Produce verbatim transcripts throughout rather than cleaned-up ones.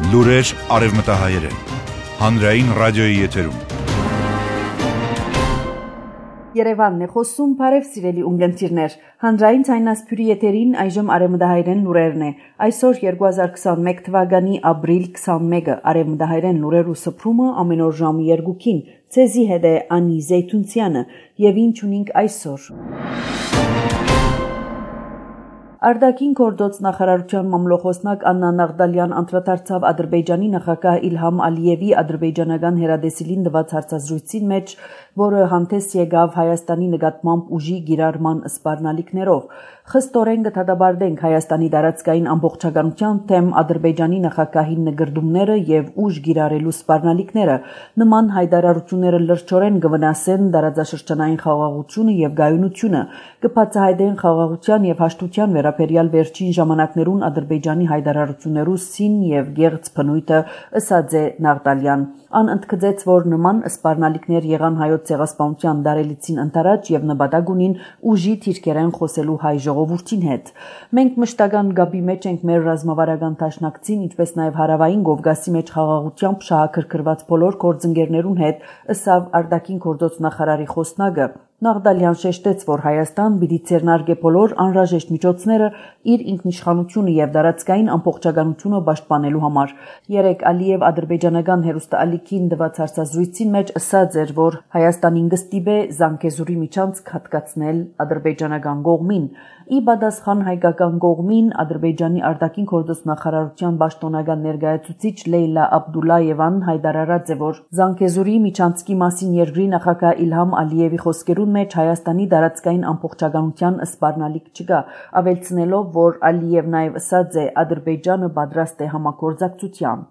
Լուրեր արևմտահայերեն, հանրային ռադիոյի եթերում։ Երևանն է խոսում, բարև սիրելի ունգընտիրներ, հանրային ցայնասփյուրի եթերին այժմ արևմտահայերեն լուրերն է։ Այսօր երկու հազար քսանմեկ թվականի ապրիլ քսանմեկը արևմտահայերեն լուրեր ու սփռումը ամեն օր ժամը երկուքին, ցեզի հետ է Անի Զեյթունցյանը, եւ ինչ ունենք այսօր։ Արտաքին գործոց նախարարության մամլոխոսնակ Աննա Նաղդալյան անդրադարձավ Ադրբեջանի նախագահ Իլհամ Ալիևի ադրբեջանական հերադեսիլին տված հարցազրույցին մեջ, որը հանդես եկավ Հայաստանի նկատմամբ ուժի գիրառման սպառնալիքներով։ Խստորեն կդատապարտենք Հայաստանի տարածքային ամբողջականության թեմ Ադրբեջանի նախագահի նկրդումները եւ ուժ գիրառելու սպառնալիքները։ Նման հայտարարությունները լրջորեն կվնասեն տարածաշրջանային խաղաղությունը եւ գայունությունը, կբացահայտեն խաղաղության եւ հաշտության վերաբերյալ վերջին ժամանակներուն Ադրբեջանի հայտարարություններու սին եւ գեղձ բնույթը, ըսած է Նաղդալյան։ Ան ընդգծեց, որ նման սպառնալիքներ եղան հայոց ցեղասպանության դարելիցին ընթരാճ եւ նպատակ ունին ուժի թիրքերեն խոսելու հայ ժողովրդին հետ։ Մենք մշտական գաբի մեջ ենք մեր ռազմավարական դաշնակցին, ինչպես նաեւ հարավային Կովկասի մեջ խաղաղությամբ շահագրգռված բոլոր գործընկերներուն հետ, ըսավ արտաքին գործոց նախարարի խոսնակը։ Նաղդալյան շեշտեց, որ Հայաստան պիտի ձեռնարկե բոլոր անհրաժեշտ միջոցները իր ինքնիշխանությունը եւ տարածքային ամբողջականությունը պաշտպանելու համար։ Երեք Ալիև ադրբեջանական հերոստալիքին տված հարցազրույցին մեջ ասաց էր, որ Հայաստանին կստիպե Զանգեզուրի միջանցք հատկացնել ադրբեջանական կողմին։ Ի պատասխան հայկական կողմին Ադրբեջանի արտաքին գործոց նախարարության պաշտոնական ներկայացուցիչ Լեյլա Աբդուլլայևան հայտարարած է, որ Զանգեզուրի միջանցքի մասին երկրի նախագահ Իլհամ Ալիևի խոսքերուն մեջ Հայաստանի տարածքային ամբողջականության սպառնալիք չկա, ավելցնելով, որ Ալիևն նաև ասաց է Ադրբեջանը պատրաստ է համագործակցության։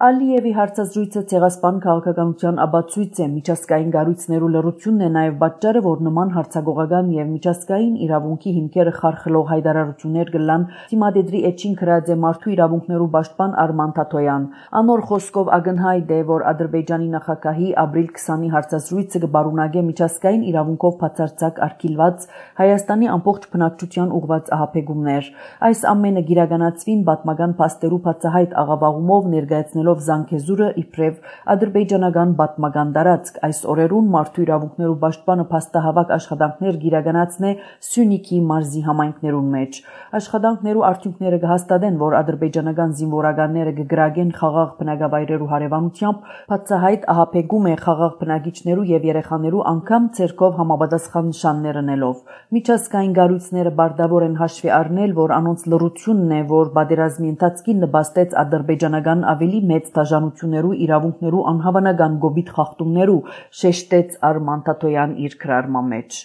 Ալիևի հարցազրույցը ցեղասպան քաղաքականության ապացույց է, միջազգային կառույցներու լռությունն է նաև պատճառը, որ նման հարցագողական եւ միջազգային իրավունքի հիմքերը խարխլող հայտարարություններ կլան Թիմադեդրի էջին գրած է մարդու իրավունքներու պաշտպան Արման Թաթոյան։ Անոր խոսքով ակնհայտ է, որ Ադրբեջանի նախագահի ապրիլ քսանի հարցազրույցը կբարունագե միջազգային իրավունքով բացարձակ արգելված Հայաստանի ամբողջ բնակչության ուղղված ահաբեկումներ։ Այս ամենը գիրականացվին պատմական փաստերու բացահայտ աղավաղումով ներկայացնելով Զանգեզուրը իբրև ադրբեջանական պատմական տարածք։ Այս օրերուն մարդու իրավունքներու պաշտպանը փաստահավաք աշխատանքներ գիրականացնե Սյունիքի մարզի համայնքներուն մեջ։ Աշխատանքներու արդյունքները կհաստատեն, որ ադրբեջանական զինվորականները կգրագեն խաղաղ բնակավայրերու հարևանությամբ, բացահայտ ահաբեկում է խաղաղ բնակիչներու եւ երեխաներու անգամ ցերկով համապատասխան նշաններ ընելով։ Միջազգային կառույցները բարտավոր են հաշվի առնել, որ անոնց լռությունն է, որ պատերազմի ընթացքին նպաստեց ադրբեջանական ավելի մեծ դաժանություններու իրավունքներու անհավանական գոբիթ խախտումներու, շեշտեց Արման Թաթոյան իր գրառման մեջ։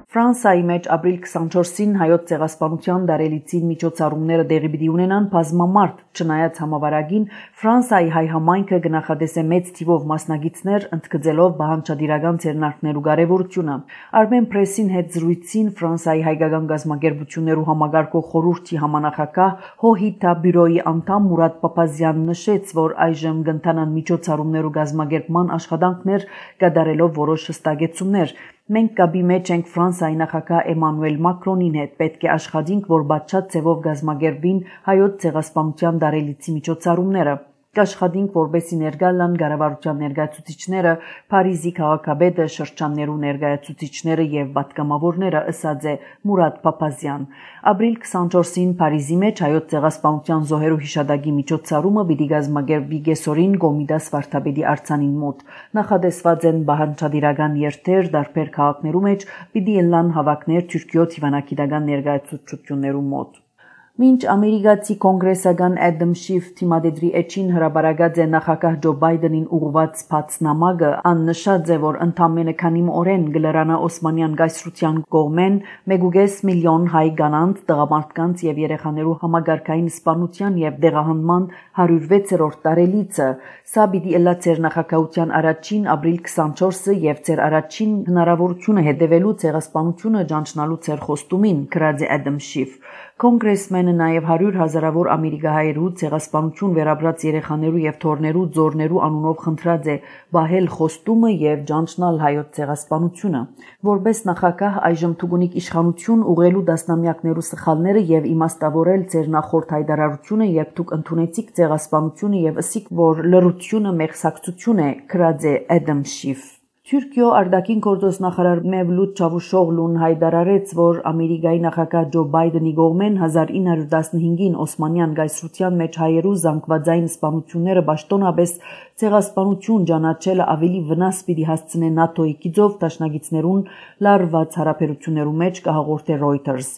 Ֆրանսիայի մեջ ապրիլ քսանչորսին հայոց ցեղասպանության դարելիցին միջոցառումները տեղի պիտի ունենան բազմամարդ, չնայած համավարակին Ֆրանսիայի հայ համայնքը կնախադեսե մեծ թիվով մասնակիցներ, ընդգծելով բանջարդիրական ձեռնարկներու կարևորությունը։ Armen Press-ին հետ զրույցին Ֆրանսիայի հայկական գազམ་ակերպություններու համագարկող խորհրդի համանախագահ Հոհիտա բյուրոյի անդամ Մուրադ Պապազյանն նշեց, որ այժմ կընթանան միջոցառումներու գազམ་ակերպման աշխատանքներ, կատարելով որոշ հստակեցումներ։ Մենք կապի մեջ ենք Ֆրանսիայի նախագահ Էմանուել Մակրոնին հետ, պետք է աշխատենք, որ բացառ ձևով գազམ་ակերպվին հայոց ցեղասպանության դարելիցի միջոցառումները։ Կաշխատենք, որպեսզի ներկա լան կառավարության ներկայացուցիչները, Փարիզի քաղաքապետը, շրջաններու ներկայացուցիչները եւ պատգամավորները, ըսած է Մուրադ Պապազյան։ Ապրիլ քսանչորսին Փարիզի մեջ հայոց ցեղասպանության զոհերու հիշատակի միջոցառումը պիտի գազམ་ակերպվի կեսօրին Կոմիտաս վարդապետի արձանին մոտ։ Նախադեсված են բանջարդիրական երթեր տարբեր քաղաքներու մեջ, պիտի ելան հավաքներ Թուրքիոց հիվանդագիտական ներկայացուցչություններու մոտ։ Մինչ ամերիկացի կոնգրեսական Ադամ Շիֆ Թիմադեդրի էջին հրապարակած է նախագահ Ջո Բայդենին ուղղված փաթնամակը, ան նշած է, որ ընդամենը քանի օրեն գլրանա Օսմանյան գայսրության կողմեն մեկ միլիոն հայ կանանց, տղամարդկանց եւ երեխաներու համագարկային սպանության եւ դեղահանման հարյուր վեցերորդ տարելիցը։ Սա պիտի ըլլա ձեր նախագահության առաջին ապրիլ քսանչորսը եւ ձեր առաջին հնարավորությունը հետևելու ցեղասպանությունը ճանչնալու ձեր խոստումին, գրած է Ադամ Շիֆ։ Կոնգրեսմենը Բայդենը նաև հարյուր հազարավոր ամերիկահայերու ցեղասպանություն վերաբրած երեխաներու եւ թորներու ձորներու անունով խնդրած է բահել խոստումը եւ ճանչնալ հայոց ցեղասպանությունը։ Որպես նախագահ այժմ թուգունիկ իշխանություն ուղղելու դասնամյակներու սխալները եւ իմաստավորել ձեր նախորդ հայտարարությունը, երբ դուք ընդունեցիք ցեղասպանությունը եւ ըսիք, որ լրությունը մեղսակցություն է, քրած է Էդեմ Շիֆ։ Թուրքիո արտաքին գործոս նախարար Մևլութ Չավուշօղլուն հայտարարեց, որ Ամերիկայի նախագահ Ջո Բայդենի կողմեն հազար ինը հարյուր տասնհինգին Օսմանյան գայսրության մեջ հայերու զանգվածային սպանությունները պաշտոնապես ցեղասպանություն ճանաչելը ավելի վնաս պիտի հասցնե ՆԱՏՕ-ի գիծով դաշնակիցներուն լարված հարաբերություններու մեջ կհաղորդե Reuters։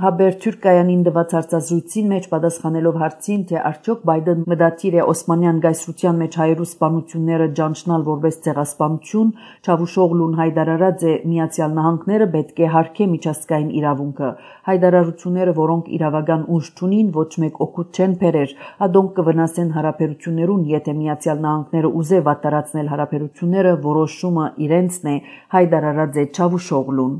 Հաբեր Թուրքիայանին դված հարցազրույցին մեջ պատասխանելով հարցին, թե արդյոք Բայդեն մտադիր է Օսմանյան գայսրության մեջ հայերու սպանությունները ճանչնալ որպես ցեղասպանություն, Չավուշօղլուն հայտարարած է Միացյալ Նահանգները պետք է հարգե միջազգային իրավունքը։ Հայտարարությունները, որոնք իրավական ուժ չունին, ոչ մեկ օգուտ չեն բերեր, ադոնք կվնասեն հարաբերություններուն, եթե Միացյալ Նահանգները ուզե վատտարացնել հարաբերությունները, որոշումը իրենցն է, հայտարարած է Չավուշօղլուն։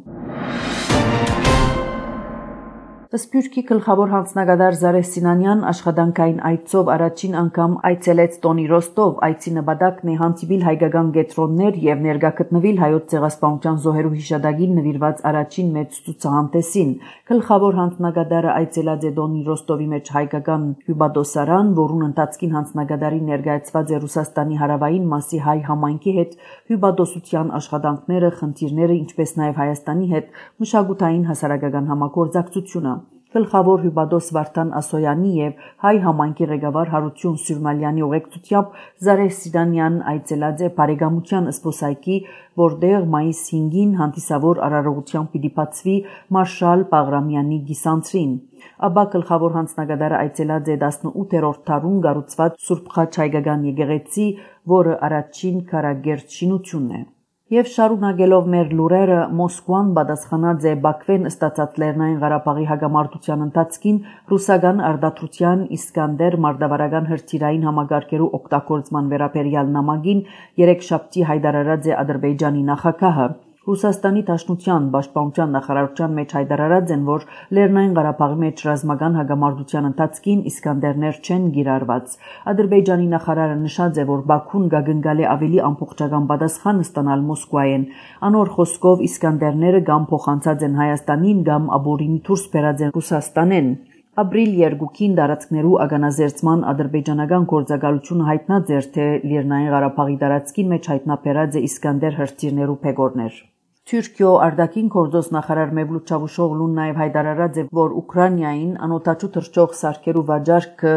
Սփյուռքի գլխավոր հանձնագետար Զարեհ Սինանյան աշխատանքային այցով առաջին անգամ այցելեց Տոնի Ռոստով, այցի նպատակն է հանդիպել հայկական կենտրոններ եւ ներկայացնել հայոց ցեղասպանության զոհերու հիշադակին նվիրված առաջին մեծ ցուցահանդեսին։ Գլխավոր հանձնագետարը այցելած է Տոնի Ռոստովի մեջ հայկական հյուպատոսարան, որուն ընթացքին հանձնագետարին ներկայացված է Ռուսաստանի հարավային մասի հայ համայնքի հետ հյուպատոսության աշխատանքները, խնդիրները, ինչպես նաեւ Հայաստանի հետ մշակութային հասարակական համագործակցությունը։ Գլխավոր հյուպատոս Վարդան Ասոյանի եւ հայ համայնքի ղեկավար Հարություն Սյուրմալյանի ուղեկցությամբ Զարեհ Սինանյան այցելած է բարեկամության զբոսայգի, որտեղ մայիս հինգին հանդիսավոր արարողությամբ պիտի բացվի Մարշալ Բաղրամյանի գիսանցրին։ Ապա գլխավոր հանձնագետարը այցելած է տասնութերորդ դարուն կառուցված Սուրբ Խաչ հայկական եկեղեցի, որը առաջին քարակերտ շինությունն է։ Եվ շարունակելով մեր լուրերը, Մոսկվան պատասխանած է Բաքվեն ստացած Լեռնային Ղարաբաղի հակամարտության ընթացքին ռուսական արտադրության Իսկանդեր մարտավարական հրթիռային համակարգերու օգտագործման վերաբերյալ նամակին երեքշաբթի հայտարարած է Ադրբեջանի նախագահը։ Ռուսաստանի Դաշնության պաշտպանության նախարարության մեջ հայտարարած են, որ Լեռնային Ղարաբաղի մեջ ռազմական հակամարտության ընթացքին Իսկանդերներ չեն գիրառված։ Ադրբեջանի նախարարը նշած է, որ Բաքուն գագնգալ է ավելի ամբողջական պատասխան ստանալ Մոսկվայեն։ Անոր խոսքով Իսկանդերները կամ փոխանցած են Հայաստանին, կամ ապօրինի դուրս բերած են Ռուսաստանեն։ Ապրիլ երկուքին տարածքներու ագանազերծման ադրբեջանական գործակալությունը հայտնած էր, թե Լեռնային Ղարաբաղի տարածքին մեջ հայտնաբերած է Իսկանդեր հրթիռներու փեգորներ։ Թուրքիո արտաքին գործոս նախարար Մևլութ Չավուշօղլուն նաև հայտարարած է, որ Ուկրաինային անօթաչու թռչող սարքերու վաճառքը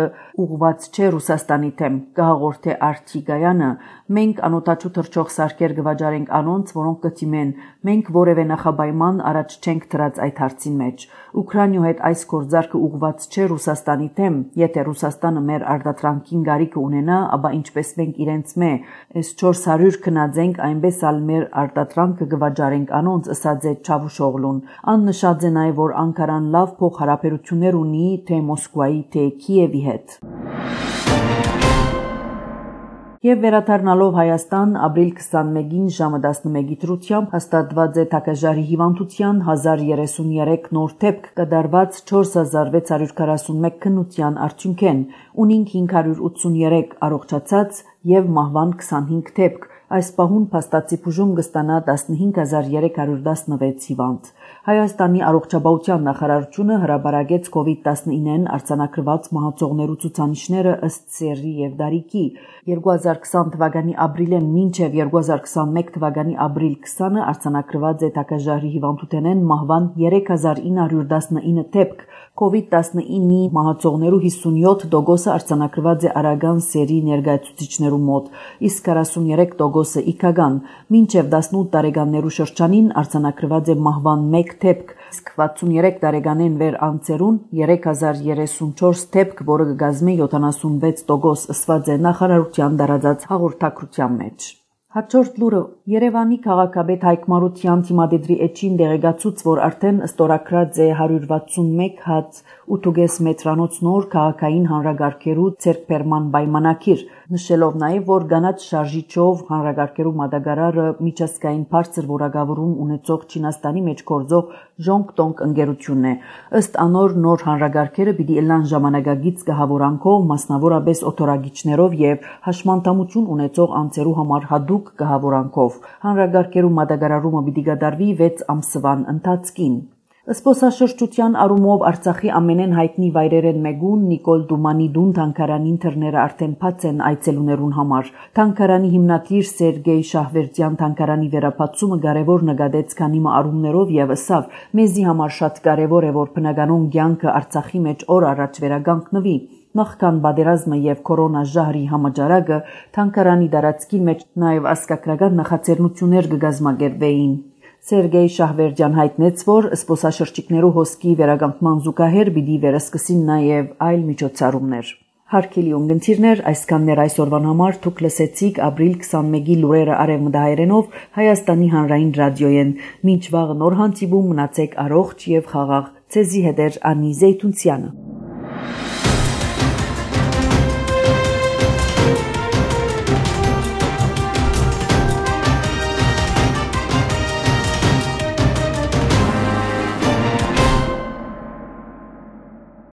ուղղված չէ Ռուսաստանի դեմ, կհաղորդե Արտիգայանը։ Մենք անօթաչու թռչող սարքեր կվաճառենք անոնց, որոնք կդիմեն։ Մենք որևէ նախապայման առաջ չենք դրած այդ հարցին մեջ։ Ուկրաինայու հետ այս գործարքը ուղղված չէ Ռուսաստանի դեմ, եթե Ռուսաստանը մեր արտադրանքին գարիք ունենա, ապա ինչպես մենք իրենց մե էս չորս հարյուր քնածենք, այնպես ալ մեր արտադրանքը կվաճառենք անոնց, ըսած է Չավուշօղլուն։ Ան նշած է նաև, որ Անկարան լավ փոխհարաբերություններ ունի թե Մոսկվայի, թե Կիևի հետ։ Եվ վերադառնալով Հայաստան, ապրիլ քսանմեկին ժամը տասնմեկի դրությամբ հաստատված է Թակաժարի հիվանդության հազար երեսունյերեք նոր դեպք, կատարված չորս հազար վեց հարյուր քառասունմեկ քննության արդյունքեն, ունինք հինգ հարյուր ութսունյերեք առողջացած եւ մահվան քսանհինգ դեպք։ Այս պահուն փաստացի բուժում կստանա տասնհինգ հազար երեք հարյուր տասնվեց հիվանդ։ Հայաստանի առողջապահության նախարարությունը հրապարակեց կովիդ տասնինեն արձանագրված մահացողներու ցուցանիշները ըստ սեռի եւ դարիքի։ երկու հազար քսան թվականի ապրիլեն մինչև երկու հազար քսանմեկ թվականի ապրիլ քսանը արձանագրված է Թակաժարի հիվանդութենեն մահվան երեք հազար ինը հարյուր տասնինը դեպք։ կովիդ տասնինի մահացողներու հիսունյոթ տոկոսը արձանագրված է արագան սերի ներկայացուցիչներու մոտ, իսկ քառասունյերեք տոկոսը իքական։ Մինչև տասնութ տարեկաններու շրջանին արձանագրված է մահվան մեկ դեպք, իսկ վաթսունյերեք տարեկանեն վեր անցերուն երեք հազար երեսունչորս դեպք, որը կգազմի յոթանասունվեց տոկոս, ըսված է նախարարության տարածած հաղորդակցության մեջ։ Հաջորդ լուրը Երևանի քաղաքապետ Հայկ Մարության թիմադեդրի էջին դեղեկացուց, որ արդեն ստորագրած է հարյուր վաթսունմեկ հատ ութ կես մետրանոց նոր քաղաքային հանրագարքերու ձեռքբերման պայմանագիր։ նշելով նաև, որ գանաչ շարժիչով հանրագարքերու մատակարարը միջազգային բարձր որակավորում ունեցող Չինաստանի մեջ գործող Ժոնգտոնգ ընկերությունն է։ Ըստ անոր նոր հանրագարքերը պիտի ելան ժամանակագից գահավորանքով, մասնավորապես օթորագիչներով եւ հաշմանդամություն ունեցող անձերու համար հատուկ գահավորանքով։ Հանրագարքերու մատակարարումը պիտի կատարվի վեց ամսվան ընթացքին։ Զբոսաշրջության առումով Արցախի ամենեն հայտնի վայրերեն մեկուն Նիկոլ Դումանիդուն թանգարանին թռները արդեն բաց են այցելուներուն համար։ Թանգարանի հիմնադիր Սերգեյ Շահվերդյան թանգարանի վերաբացումը կարևոր նկատեց քանի առումներով եւ ըսավ, մեզի համար շատ կարևոր է, որ բնականոն կյանքը Արցախի մեջ օր առաջ վերականգնվի։ Նախքան պատերազմը եւ կորոնա ժահրի համաճարակը թանգարանի տարածքի մեջ նաեւ ազգագրական նախաձեռնություններ կգազմագերվեին։ Սերգեյ Շահվերդյան հայտնեց, որ զբոսաշրջիկներու հոսքի վերականգնման զուգահեռ պիտի վերսկսին նաև այլ միջոցառումներ։ Հարգելի ունգընտիրներ, այսքաններ այսօրվան համար դուք լսեցիք ապրիլ քսանմեկի լուրերը արևմտահայերենով Հայաստանի հանրային ռադիոյեն։ Մինչ վաղ նոր հանդիպում մնացեք առողջ եւ խաղաղ։ Ցեզի հետ է Անի Զեյթունցյանը։